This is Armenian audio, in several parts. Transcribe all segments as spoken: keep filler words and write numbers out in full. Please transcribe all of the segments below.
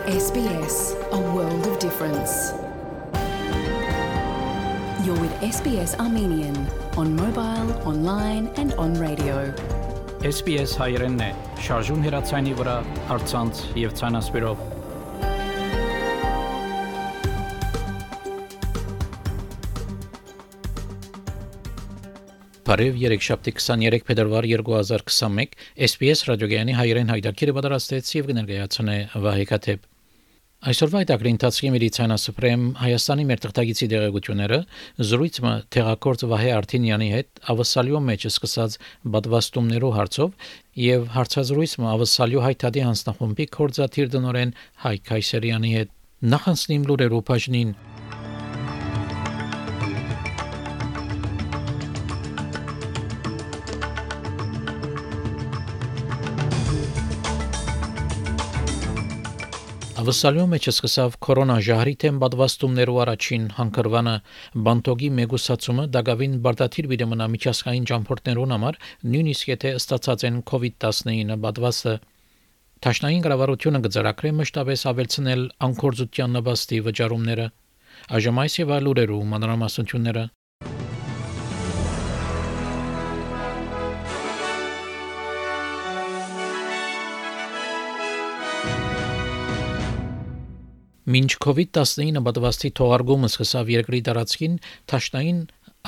S B S, a world of difference. You're with S B S Armenian on mobile, online and on radio. S B S հայերենն է, շարժուն հեռացանի վրա, առցանց եւ ցանասպիրով։ Բարև երեքշաբթի քսաներեք փետրվար երկու հազար քսանմեկ S B S ռադիոգյանի հայերեն հայտարարը պատրաստեց եւ կներկայացնե Վահե Քաթեփ։ Այսօրվա հայտարարի ընթացքի Մերիցանասպրեմ Հայաստանի մեր թղթակիցի դեղեցությունները զրույցը թերակորձ Վահե Արտինյանի հետ ավսալյո մեջ սկսած բադվաստումներու հարցով եւ հարցազրույցը ավսալյո հայտարարի հանձնախումբի կորզաթիր դնորեն Հայկ Քայսերյանի հետ նախանցնիմ լուրերու բաժնին Ավսալյո մեջ սկսավ կորոնա ժահրի թեմ բադվաստումներու առաջին հանգրվանը բանտոգի մեգուսացումը դակավին բարդաթիր վիդեմնա միջազգային ճամփորդներուն համար նույնիսկ եթե ստացած են կովիդ տասնինը բադվաստը Տաշնային կառավարությունը գծարակրե մշտապես ավելցնել անկորձության նպաստի վճարումները այժմ այս եւ այլ լուրերու մանրամասնությունները Մինչ կովիդ տասնինը բադվաստի թողարկումը սկսավ երկրի տարածքին, Տաշնային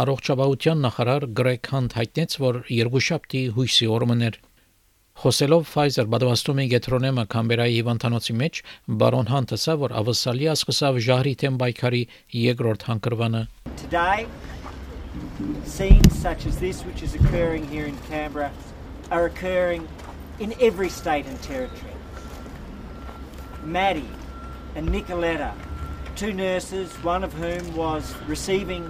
առողջապահության նախարար Գրեգ Հանտ հայտնեց, որ երկուշաբթի հույսի օրն էր։ Խոսելով Pfizer բադվաստումի գետրոնեմը Կամբերայի հիվանդանոցի մեջ, բարոն Հանտը ասավ, որ ավսալիա սկսավ ժահրի թեմ պայքարի երկրորդ հանգրվանը։ Today, scenes such as this which is occurring here in Canberra are occurring in every state and territory. Maddie and Nicoletta, two nurses, one of whom was receiving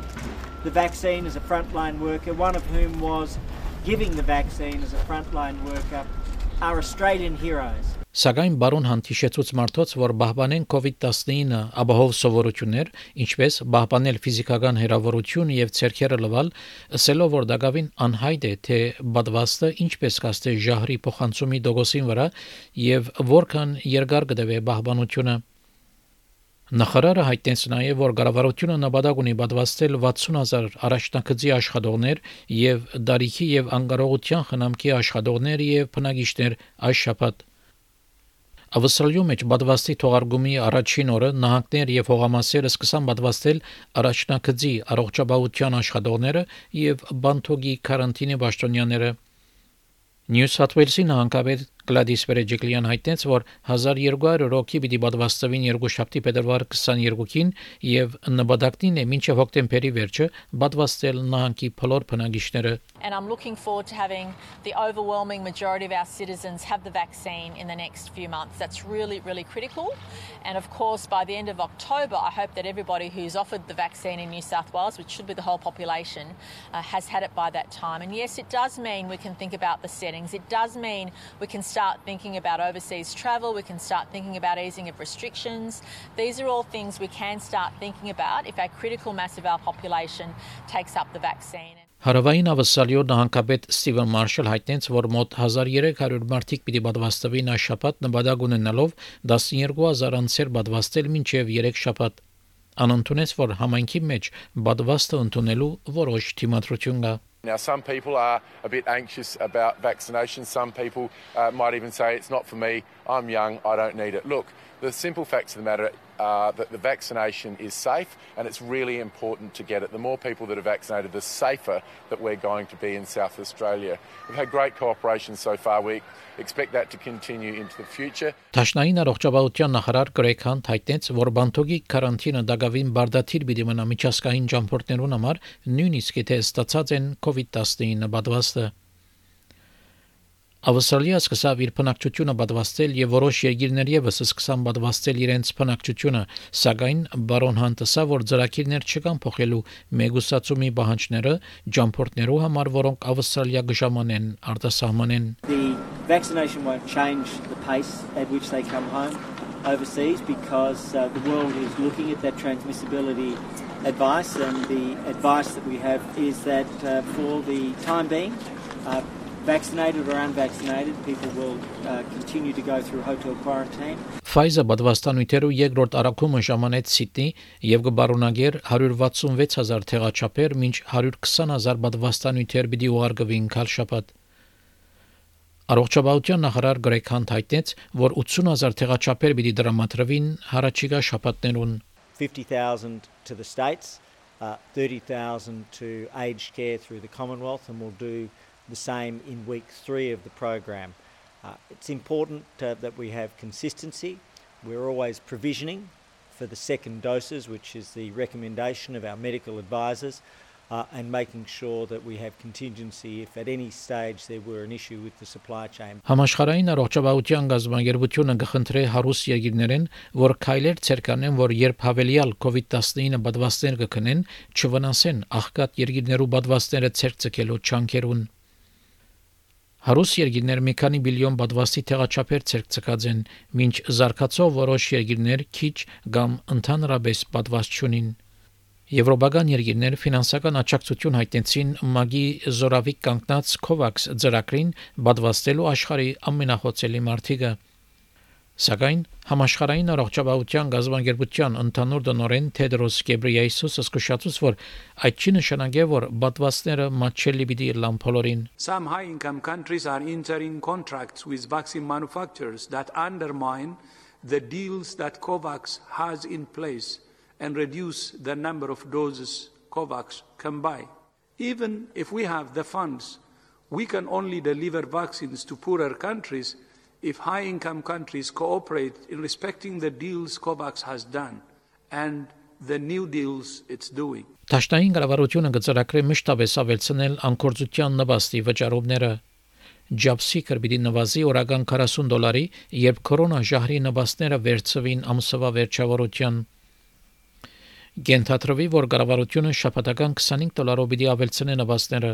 the vaccine as a frontline worker, one of whom was giving the vaccine as a frontline worker, are Australian heroes. Սակայն բարոն Հանտիշեցուց մարդոց, որ բահբանեն կովիդ տասնինը ապահով սովորություններ, ինչպես բահբանել ֆիզիկական հերավորություն եւ ցերքերը լվալ, ասելով որ դակավին անհայտ է թե բադվաստը ինչպես կաստե ժահրի փոխանցումի դոգոսին վրա եւ որքան երկար կդեվե բահբանությունը Նախարարը հայտնեց նաև, որ կառավարությունը նպատակ ունի պատվաստել վաթսուն հազար առաջնակցի աշխատողներ եւ դարիքի եւ անկարողության խնամքի աշխատողներ եւ բնակիչներ այս շաբաթ։ Ավստրալիա մեջ պատվաստի թողարկումի առաջին օրը նահանգներ եւ հողամասերը սկսան պատվաստել առաջնակցի առողջապահության աշխատողները եւ բանտոգի կարանտինի պաշտոնյաները։ Նյու Սաթ Ուելսի նահանգապետ Գլադիս Վերեջիկլյան հայտնեց, որ հազար երկու հարյուր հոգի պիտի պատվաստվին երկուշաբթի փետրվար քսաներեքին եւ նպատակն է մինչեւ հոկտեմբերի վերջը պատվաստել նահանգի բոլոր բնակիչները And I'm looking forward to having the overwhelming majority of our citizens have the vaccine in the next few months. That's really, really critical. And of course, by the end of October, I hope that everybody who's offered the vaccine in New South Wales, which should be the whole population, uh, has had it by that time. And yes, it does mean we can think about the settings. It does mean we can start thinking about overseas travel. We can start thinking about easing of restrictions. These are all things we can start thinking about if a critical mass of our population takes up the vaccine. Հարավային ավսալյո նահանգապետ Ստիվեն Մարշալ հայտնեց, որ մոտ հազար երեք հարյուր մարդիկ պիտի պատվաստվին այս շաբաթ նպատակ ունենալով տասներկու հազար անձեր պատվաստել մինչև երեք շաբաթ։ Անընդունեց, որ համայնքի մեջ պատվաստը ընդունելու որոշ թիմադրություն կա։ Now, some people are a bit anxious about vaccination. Some people uh, might even say, it's not for me, I'm young, I don't need it. Look, the simple facts of the matter are that the vaccination is safe and it's really important to get it. The more people that are vaccinated, the safer that we're going to be in South Australia. We've had great cooperation so far. We expect that to continue into the future. Տաշնային առողջապահության նախարար Գրեգ Հանտ հայտնեց, որ բանտոգի կարանտինը դակավին բարդաթիր պիտի մնա միջազգային ճամփորդներուն համար, նույնիսկ եթե ստացած են կովիդ տասնինը պատվաստը։ Ավստրալիա սկսավ իր բնակչությունը պատվաստել եւ որոշ երկիրներ եւս սկսան պատվաստել իրենց բնակչությունը, սակայն բարոն Հանտը ասա, որ ծրագիրներ չկան փոխելու մեգուսացումի պահանջները ճամփորդներու համար, որոնք Ավստրալիա գժամանեն արտասահմանեն։ The vaccination won't change the pace at which they come home overseas because uh, the world is looking at that transmissibility advice and the advice that we have is that uh, for the time being uh, vaccinated or unvaccinated, people will uh, continue to go through hotel quarantine. Pfizer պատվաստանյութերու երկրորդ առաքումը ժամանեց Սիդնի եւ կբարունագեր one hundred sixty-six thousand թեղաչափեր, մինչ one hundred twenty thousand պատվաստանյութեր պիտի ուղարկվին քալշաբաթ։ Առողջապահության նախարար Գրեգ Հանտ հայտնեց, որ eighty thousand թեղաչափեր պիտի դրամատրվին հարաճիգա շաբաթներուն։ fifty thousand to the states, uh, thirty thousand to aged care through the Commonwealth, and we'll do the same in week three of the program. Uh, it's important uh, that we have consistency. We're always provisioning for the second doses, which is the recommendation of our medical advisors, uh, and making sure that we have contingency if at any stage there were an issue with the supply chain. Համաշխարհային առողջապահության գազագերբությունը կխնդրի հարուստ երկիրներին, որ քայլեր ցերկանեն, որ երբ հավելյալ COVID nineteen պատվաստներ կքնեն, չվնասեն աղքատ երկիրներու պատվաստները ցերկցկելու չանքերուն։ Հարուստ երկիրներ մի քանի բիլիոն պատվաստի թեղաչափեր ցերկցկած են, մինչ զարգացող որոշ երկիրներ քիչ կամ ընդհանրապես պատվաստ չունին։ Եվրոպական երկիրներ ֆինանսական աջակցություն հայտնեցին ՄԱԳ-ի զորավիկ կանգնած COVAX ծրագրին պատվաստելու աշխարհի ամենախոցելի մարտիկը։ Սակայն համաշխարհային առողջապահության գազագերբության ընդհանուր տնօրեն Թեդրոս Գեբրեյեսուսը զսկուշացուց, որ այդ չի նշանակե, որ պատվաստները մատչելի պիտի լան բոլորին։ Some high-income countries are entering contracts with vaccine manufacturers that undermine the deals that COVAX has in place and reduce the number of doses COVAX can buy. Even if we have the funds, we can only deliver vaccines to poorer countries if high-income countries cooperate in respecting the deals COVAX has done and the new deals it's doing. Տաշտային կառավարությունը կծրագրի մշտապես ավելցնել անկորձության նվաստի վճարումները։ Ջաբսիկը պիտի նվազի օրական forty դոլարի, երբ կորոնա ժահրի նվաստները վերցվին ամսվա վերջավորության։ Գենթատրվի, որ կառավարությունը շաբաթական twenty-five դոլարով պիտի ավելցնի նվաստները։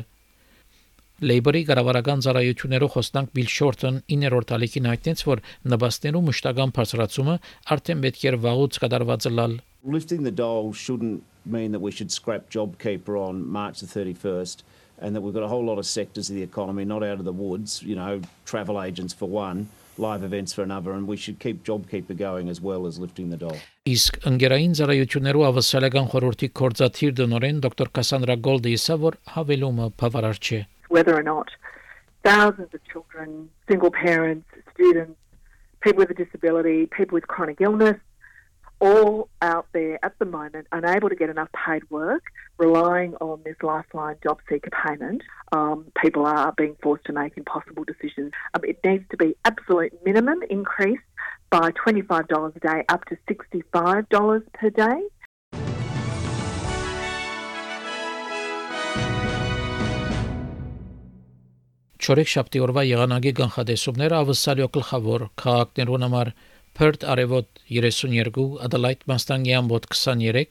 Լեյբորի կառավարական ծառայություններով խոսնակ Բիլ Շորթն իններորդ ալիքին հայտնեց, որ նվաստներու մշտական բարձրացումը արդեն պետք է վաղուց կատարված լալ։ Lifting the dole shouldn't mean that we should scrap JobKeeper on March the thirty-first and that we've got a whole lot of sectors of the economy not out of the woods, you know, travel agents for one, live events for another, and we should keep JobKeeper going as well as lifting the dole. Իսկ ընկերային ծառայություններու ավասալական խորհրդի կորզաթիր դնորեն դոկտոր Կասանդրա Գոլդը ասա, որ հավելումը բավարար չէ։ Whether or not thousands of children, single parents, students, people with a disability, people with chronic illness, all out there at the moment unable to get enough paid work, relying on this lifeline job seeker payment, um, people are being forced to make impossible decisions. Um, it needs to be absolute minimum increase by twenty-five dollars a day up to sixty-five dollars per day. Չորեքշաբթի օրվա եղանակի կանխատեսումները ավսալյո գլխավոր քաղաքներուն համար Perth արևոտ thirty-two, Adelaide մաստանգի ամբոտ twenty-three,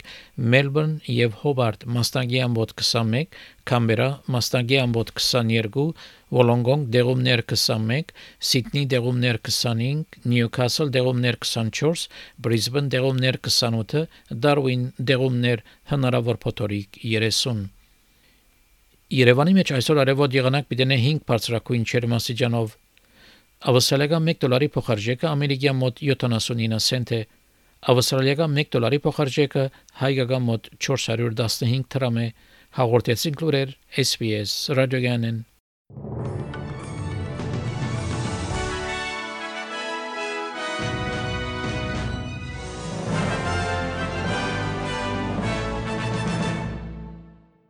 Melbourne եւ Hobart մաստանգի ամբոտ twenty-one, Canberra մաստանգի ամբոտ twenty-two, Wollongong դեղումներ twenty-one, Sydney դեղումներ twenty-five, Newcastle դեղումներ twenty-four, Brisbane դեղումներ twenty-eight, Darwin դեղումներ հնարավոր փոթորիկ thirty. Երևանի մեջ այսօր արևոտ եղանակ պիտենե five բարձրակույն ջերմաստիճանով։ Ավստրալիական one դոլարի փոխարժեքը ամերիկյան մոտ seventy-nine سنت է։ Ավստրալիական one դոլարի փոխարժեքը հայկական մոտ four hundred fifteen դրամ է։ Հաղորդեցին լուրեր S B S ռադիոյանեն։